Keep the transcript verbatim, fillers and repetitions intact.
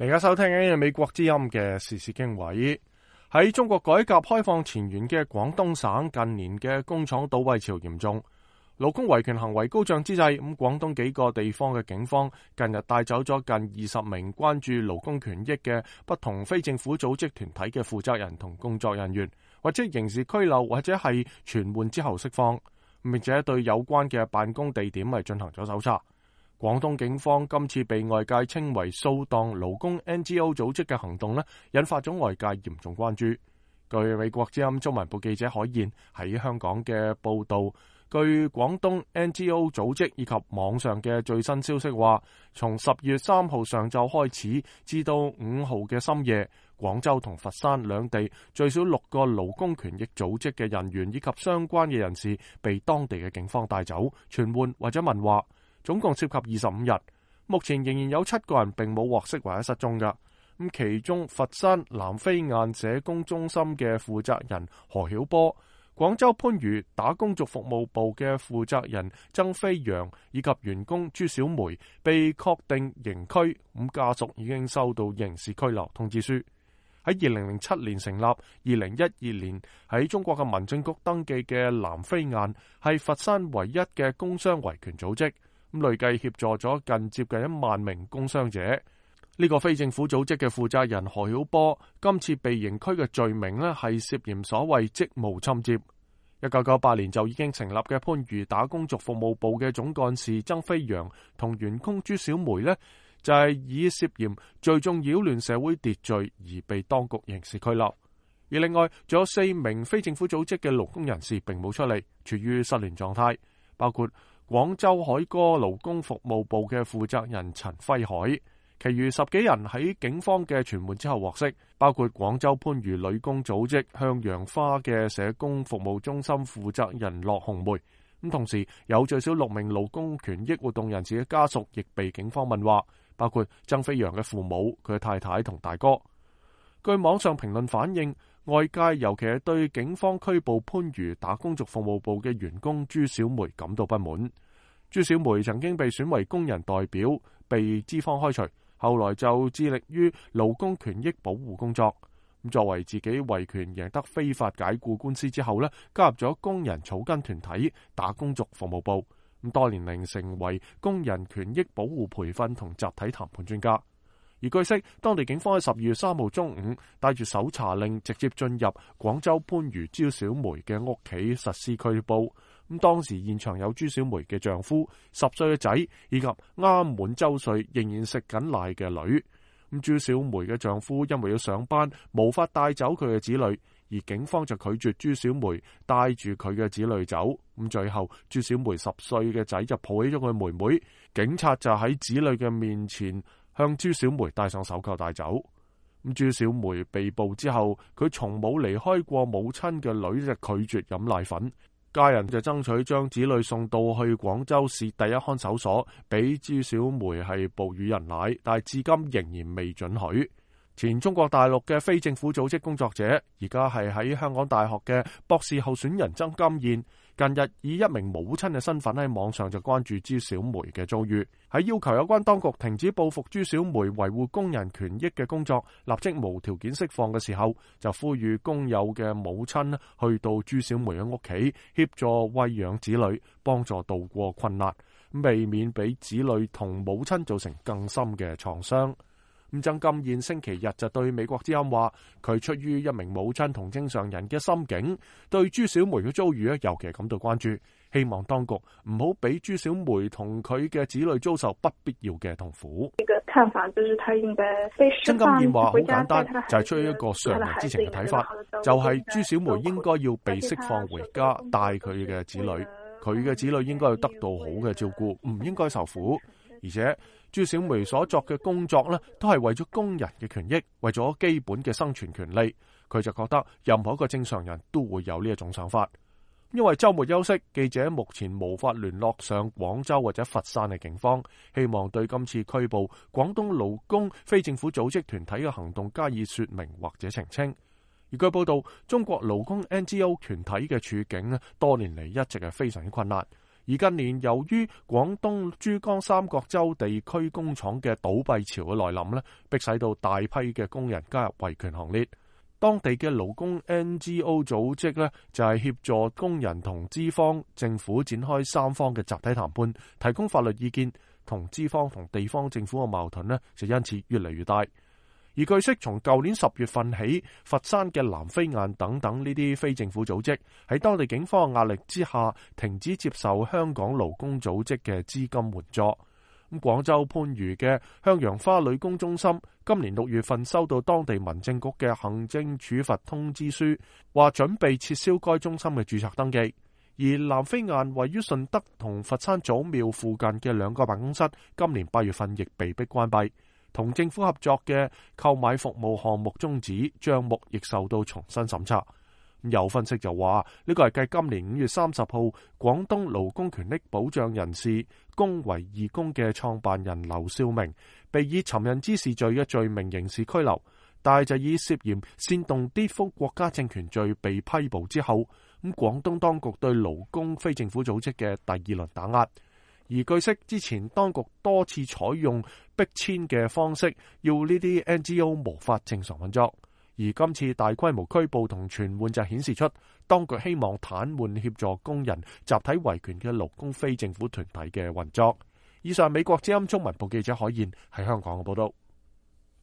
而家收聽緊嘅美國之音嘅時事經緯。喺中國改革開放前沿嘅廣東省，近年嘅工廠倒閉潮嚴重，勞工維權行為高漲之際，咁廣東幾個地方嘅警方近日帶走咗近二十名關注勞工權益嘅不同非政府組織團體嘅負責人同工作人員，或者刑事拘留，或者係傳喚之後釋放，並且對有關嘅辦公地點係進行咗搜查。廣東警方今次被外界稱為掃蕩勞工 N G O 組織嘅行動呢，引發咗外界嚴重關注。據美國之音中文部記者海燕喺香港嘅報道，據廣東 N G O 組織以及網上嘅最新消息話，從十月三號上晝開始至到五號嘅深夜，廣州同佛山兩地最少六個勞工權益組織嘅人員以及相關嘅人士被當地嘅警方帶走、傳喚或者問話。總共涉及二十五日，目前仍然有七個人並冇獲釋或者失蹤㗎。咁其中佛山南飛雁社工中心嘅負責人何曉波、廣州番禺打工族服務部嘅負責人曾飛揚以及員工朱小梅被確定刑拘，咁家屬已經收到刑事拘留通知書。喺二零零七年成立，二零一二年喺中國嘅民政局登記嘅南飛雁係佛山唯一嘅工傷維權組織。咁累計協助咗近接近一萬名工傷者。呢、這個非政府組織嘅負責人何曉波今次被刑拘嘅罪名呢，係涉嫌所謂職務侵佔。一九九八年就已經成立嘅番禺打工族服務部嘅總幹事曾飛揚同員工朱小梅呢，就係、是、以涉嫌聚眾擾亂社會秩序而被當局刑事拘留。而另外仲有四名非政府組織嘅勞工人士並冇出嚟，處於失聯狀態，包括廣州海歌勞工服務部嘅負責人陳輝海，其餘十幾人喺警方嘅傳喚之後獲釋，包括廣州番禺女工組織向陽花嘅社工服務中心負責人駱紅梅。咁同時有最少六名勞工權益活動人士嘅家屬亦被警方問話，包括曾飛揚嘅父母、佢嘅太太同大哥。據網上評論反映，外界尤其係對警方拘捕番禺打工族服務部嘅員工朱小梅感到不滿。朱小梅曾經被選為工人代表，被資方開除，後來就致力於勞工權益保護工作。咁作為自己維權贏得非法解僱官司之後呢，加入咗工人草根團體打工族服務部，咁多年嚟成為工人權益保護培訓同集體談判專家。而據悉，當地警方喺十二月三號中午帶住搜查令直接進入廣州番禺朱小梅嘅屋企實施拘捕。咁當時現場有朱小梅嘅丈夫、十歲嘅仔以及啱滿周歲仍然食緊奶嘅女。咁朱小梅嘅丈夫因為要上班，無法帶走佢嘅子女，而警方就拒絕朱小梅帶住佢嘅子女走。咁最後朱小梅十歲嘅仔就抱起咗佢妹妹，警察就喺子女嘅面前向朱小梅戴上手銬帶走。咁朱小梅被捕之後，佢從冇離開過母親嘅女就拒絕飲奶粉，家人就爭取將子女送到去廣州市第一看守所，俾朱小梅係哺乳人奶，但係至今仍然未准許。前中國大陸嘅非政府組織工作者，而家係喺香港大學嘅博士候選人曾金燕，近日以一名母親嘅身份喺網上就關注朱小梅嘅遭遇，喺要求有關當局停止報復朱小梅維護工人權益嘅工作，立即無條件釋放嘅時候，就呼籲工友嘅母親去到朱小梅嘅屋企協助餵養子女，幫助渡過困難，避免俾子女同母親造成更深嘅創傷。咁曾金燕星期日就對美國之音話，佢出於一名母親同正常人嘅心境，對朱小梅嘅遭遇咧尤其感到關注，希望當局唔好俾朱小梅同佢嘅子女遭受不必要嘅痛苦。一個看法就是他應該被釋放。曾金燕話好簡單，就係出於一個常人之情嘅睇法，就係朱小梅應該要被釋放回家，帶佢嘅子女，佢嘅子女應該要得到好嘅照顧，唔應該受苦。而且朱小梅所作嘅工作呢，都係為咗工人嘅權益，為咗基本嘅生存權利。佢就覺得任何一個正常人都會有呢一種想法。因為週末休息，記者目前無法聯絡上廣州或者佛山嘅警方，希望對今次拘捕廣東勞工非政府組織團體嘅行動加以說明或者澄清。而據報道，中國勞工 N G O 團體嘅處境多年嚟一直係非常之困難。而近年由於廣東珠江三角洲地區工廠嘅倒閉潮嘅來臨呢，迫使到大批嘅工人加入維權行列。當地嘅勞工 N G O 組織呢，就係協助工人同資方、政府展開三方嘅集體談判，提供法律意見，同資方同地方政府嘅矛盾呢，就因此越嚟越大。而據悉，從舊年十月份起，佛山嘅南非岸等等呢啲非政府組織喺當地警方嘅壓力之下，停止接受香港勞工組織嘅資金援助。咁廣州番禺嘅向陽花女工中心今年六月份收到當地民政局嘅行政處罰通知書，話準備撤銷該中心嘅註冊登記。而南非岸位於順德同佛山祖廟附近嘅兩個辦公室，今年八月份亦被迫關閉。同政府合作嘅購買服務項目終止，帳目亦受到重新審查。有分析就話呢個係繼今年五月三十號廣東勞工權益保障人士公維義工嘅創辦人劉少明被以尋釁滋事罪嘅罪名刑事拘留，但係就以涉嫌煽動顛覆國家政權罪被批捕之後，咁廣東當局對勞工非政府組織嘅第二輪打壓。而據悉，之前當局多次採用逼遷嘅方式，要呢啲 N G O 無法正常運作。而今次大規模拘捕同傳喚就顯示出，當局希望癱瘓協助工人集體維權嘅勞工非政府團體嘅運作。以上美國之音中文部記者海燕喺香港嘅報道。